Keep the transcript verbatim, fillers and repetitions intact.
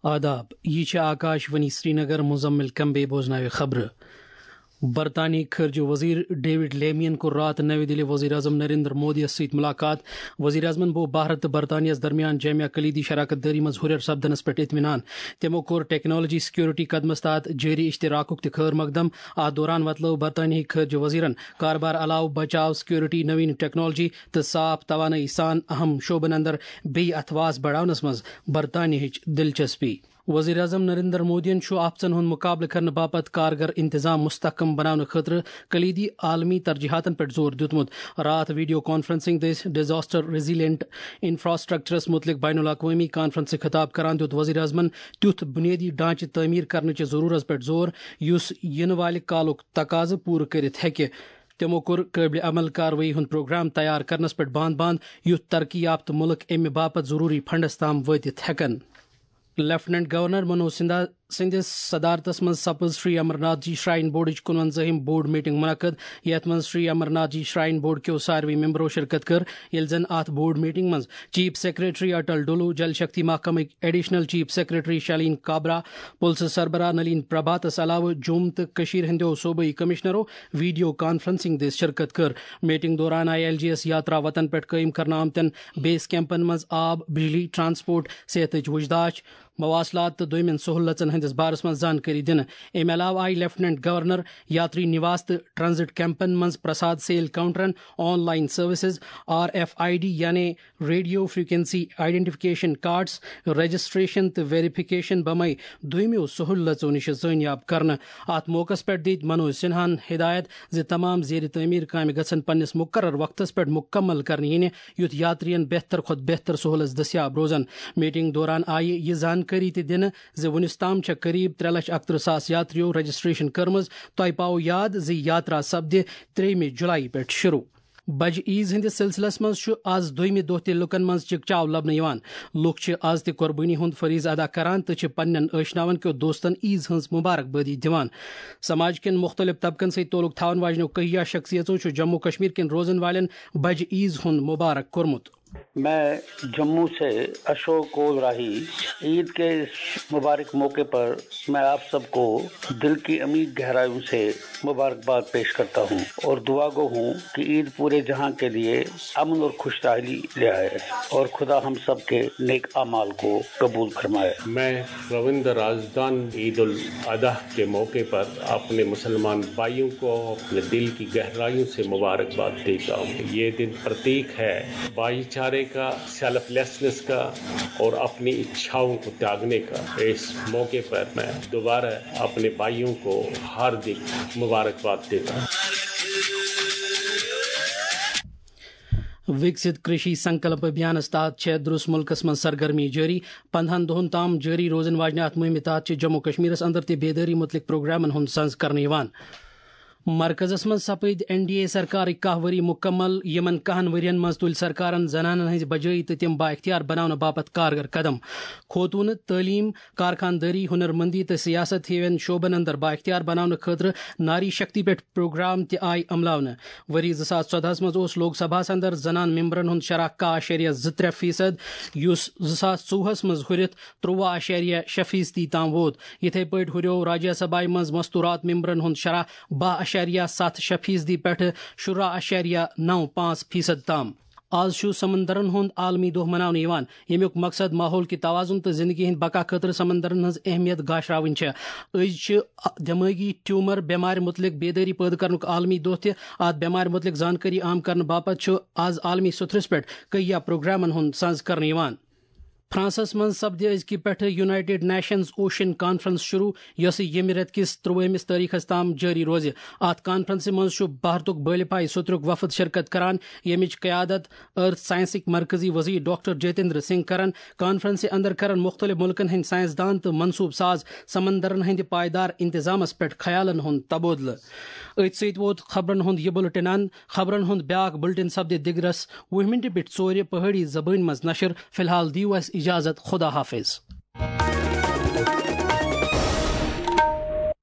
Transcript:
آداب، یہ چھِ آکاش وانی سرینگر، مزمل کمبے بوزناوِ خبرٕ۔ برطانیہٕکۍ خارجہ وزیر ڈیوڈ لیمین کوٚر راتھ نوِ دِلہِ وزیر اعظم نریندر مودیَس سۭتۍ ملاقات۔ وزیر اعظمن بو بھارت تہٕ برطانیہس درمیان جامع کلیدی شراکت دٲری منٛز ہُرٮ۪ر سپدنس پٮ۪ٹھ اطمینان۔ تِمو کوٚر ٹیکنالوجی سیکورٹی قدمس تحت جٲری اشتراکُک تہِ خٲر مقدم۔ اتھ دوران وۄتلٲو برطانیہٕکۍ خارجہ وزیرن کاربار علاوٕ بچاو، سیکورٹی، نوین ٹیکنالوجی تہٕ صاف توانٲیی سان اہم شعبن اندر بیٚیہِ اتھواس بڑاونس منٛز برطانیہٕچ دلچسپی۔ وزیر اعظم نریندر مودیَن چھُ آفژن ہُنٛد مقابلہٕ کرنہٕ باپتھ کارگر انتظام مستحکم بناونہٕ خٲطرٕ کلیدی عالمی ترجیحاتن پٮ۪ٹھ زور دیُتمُت۔ راتھ ویڈیو کانفرنسنگ دٔسۍ ڈیزاسٹر ریزیلینٹ انفراسٹرکچرس متعلق بین الاقوٲمی کانفرنسہِ خطاب کران دیُت وزیر اعظمن تیُتھ بنیٲدی ڈھانچہٕ تعمیٖر کرنٕچہِ ضروٗرت پٮ۪ٹھ زور، یُس یِنہٕ والہِ کالُک تقاضہٕ پوٗرٕ کٔرِتھ ہیٚکہِ۔ تِمو کوٚر قٲبلِ عمل کاروٲیی ہُنٛد پروگرام تیار کرنس پٮ۪ٹھ بانٛد بانٛد، یُتھ ترقی یافتہٕ مُلک امہِ باپتھ ضروٗری فنڈس تام وٲتِتھ ہٮ۪کن۔ لیفٹیننٹ گورنر منوج سنہا سٕنٛدِس صدارتس منٛز سپٕز شری امرناتھ جی شراین بورڈٕچ کُنوَنزٲہِم بورڈ میٹنگ منعقد، یتھ منٛز شری امرناتھ جی شراین بورڈ کیو ساروٕے ممبرو شرکت کٔر، ییٚلہِ زن اتھ بورڈ میٹنگ منٛز چیف سیکرٹری اٹل ڈولو، Jal Shakti محکمٕکۍ additional chief secretary شالین کابرا، پُلسہٕ سربراہ نلین پربھاتس علاوٕ جوٚم تہٕ کٔشیٖر ہٕنٛدیو صوبٲئی کمشنرو ویڈیو کانفرنسنگ دٔسۍ شرکت کٔر۔ میٹنگ دوران آیہِ ایل جی ایس یاترا وتن پٮ۪ٹھ قٲیِم کرنہٕ آمتٮ۪ن بیس کیمپن منٛز آب، بجلی، ٹرانسپورٹ، صحتٕچ وُچھ داچھ، مواصلات تہٕ دوٚیمٮ۪ن سہوٗلژن ہٕنٛدِس بارس منٛز زانکٲری دِنہٕ۔ امہِ علاوٕ آیہِ لیفٹیننٹ گورنر یاتری نواس تہٕ ٹرانزٹ کیمپن منٛز پرساد سیل کاؤنٹرن، online services, R F I D یعنی radio frequency identification cards, registration تہٕ ویریفکیشن بمے دوٚیمٮ۪و سہوٗلژو نِش زٲنیاب کرنہٕ۔ اتھ موقعس پٮ۪ٹھ دِتۍ منوج سنہاہن ہدایت زِ تمام زیر تعمیٖر کامہِ گژھن پننِس مقرر وقتس پٮ۪ٹھ مُکمل کرنہٕ یِنہِ، یُتھ یاترین بہتر کھۄتہٕ بہتر سہوٗلژ دٔستیاب روزن۔ میٹنگ دوران آیہِ یہِ زانکٲری تہِ دِنہٕ زِ وُنیُس تام چھےٚ قریب ترٛےٚ لچھ اکترٕہ ساس یاتریو رجسٹریشن کٔرمٕژ۔ تۄہہِ پاوو یاد زِ یاترا سپدِ ترٛیٚیِمہِ جُلایی پٮ۪ٹھ شروع۔ بجہِ عیز ہٕنٛدِس سلسلس منٛز چھُ از دوٚیمہِ دۄہ تہِ لُکن منٛز چکچاو لبنہٕ یِوان۔ لُکھ چھِ از تہِ قربٲنی ہُنٛد فریضہٕ ادا کران تہٕ چھِ پننٮ۪ن ٲشناون کیو دوستن عیز ہٕنٛز مبارک بٲدی دِوان۔ سماج کٮ۪ن مُختٔلِف طبقن سۭتۍ تعلق تھاون واجنیو کہیا شخصیژو چھُ جموں کشمیر کٮ۪ن روزن والٮ۪ن بجہِ عیز ہُنٛد مبارک کوٚرمُت۔ میں جموں سے اشوک کول راہی، عید کے اس مبارک موقع پر میں آپ سب کو دل کی عمیق گہرائیوں سے مبارکباد پیش کرتا ہوں اور دعا گو ہوں کہ عید پورے جہاں کے لیے امن اور خوشحالی لے آئے اور خدا ہم سب کے نیک اعمال کو قبول فرمائے۔ میں روندر راجدان عید الاضحی کے موقع پر اپنے مسلمان بھائیوں کو اپنے دل کی گہرائیوں سے مبارکباد دیتا ہوں۔ یہ دن پرتیک ہے بھائی چارے کا، سیلف لیسنس کا اور اپنی اچھاؤں کو تیاگنے کا۔ اس موقع پر میں دوبارہ اپنے بھائیوں کو ہاردک مبارکباد دیتا ہوں۔ وکست کرشی سنکلپ ابھیانس تحت چھےٚ درس ملکس منٛز سرگرمی جٲری۔ پندہن دۄہن تام جٲری روزن واجنہِ اتھ مُہمہِ تحت چھِ جموں کشمیرس اندر تہِ بیدٲری متعلق پروگرامن ہُنٛد سنز کرنہٕ یِوان۔ مرکزس منٛز سپٕدۍ این ڈی اے سرکارٕکۍ کاہ ؤری مُکمل۔ یِمن کاہن ؤرین منٛز تُلۍ سرکارن زنانن ہٕنٛزِ بجٲیی تہٕ تِم بااختیار بناونہٕ باپتھ کارگر قدم۔ خوتوٗنہٕ، تعلیٖم، کارخاندٲری، ہُنر مندی تہٕ سیاست ہِوٮ۪ن شعبن اندر بااختیار بناونہٕ خٲطرٕ ناری شکتی پٮ۪ٹھ پروگرام تہِ آیہِ عملاونہٕ۔ ؤری زٕ ساس ژۄدہَس منٛز اوس لوک سبھاہَس اندر زنان ممبرن ہُنٛد شرح کاہ اَشاریہ زٕ ترٛےٚ فیصد، یُس زٕ ساس ژوٚوُہَس منٛز ہُرِتھ تُرٛواہ اَشاریہ شےٚ فیصدی تام ووت۔ یِتھے پٲٹھۍ ہُریو راجیہ سبھایہ منٛز مستورات ممبرن ہُنٛد شرح باہ اَشاریہ ستھ شےٚ فیصدی پٮ۪ٹھٕ شُراہ اَشاریہ نَو پانٛژھ فیصد تام۔ آز چھُ سمندرن ہُنٛد عالمی دۄہ مناونہٕ یِوان، ییٚمیُک مقصد ماحول کہِ توازن تہٕ زندگی ہٕنٛدِ بقا خٲطرٕ سمندرن ہٕنٛز اہمیت گاشراوٕنۍ چھےٚ۔ أزۍ چھِ دمٲغی ٹیومر بٮ۪مارِ مُتعلق بیدٲری پٲدٕ کرنُک عالمی دۄہ تہِ۔ اتھ بٮ۪مارِ مُتعلق زانکٲری عام کرنہٕ باپتھ چھُ آز عالمی سطحس پٮ۪ٹھ کہیا پروگرامن ہُنٛد سنز کرنہٕ یِوان۔ فرانسس منٛز سپدِ أزکہِ پٮ۪ٹھٕ یونائیٹڈ نیشنز اوشن کانفرنس شروع، یۄسہٕ ییٚمہِ رٮ۪تہٕ کِس ترٛوٲہمِس تٲریخس تام جٲری روزِ۔ اتھ کانفرنسہِ منٛز چھُ بھارتُک بالپایہِ سترُک وفد شرکت کران، ییٚمِچ قیادت ارتھ سائنسٕکۍ مرکزی وزیر ڈاکٹر جتیندر سنگھ کرن۔ کانفرنسہِ اندر کرن مُختٔلِف مُلکن ہٕنٛدۍ سائنسدان تہٕ منصوبہٕ ساز سمندرن ہٕنٛدِ پائیدار انتظامس پٮ۪ٹھ خیالن ہُنٛد تبادلہٕ۔ أتھۍ سۭتۍ ووت خبرن ہُنٛد یہِ بُلٹن اند۔ خبرن ہُنٛد بیاکھ بُلٹن سپدِ دِگرس وُہ مِنٹہِ پٮ۪ٹھ ژورِ پہٲڑی زبٲنۍ منٛز نشر۔ فی الحال دِیِو اسہِ اجازت، خدا حافظ۔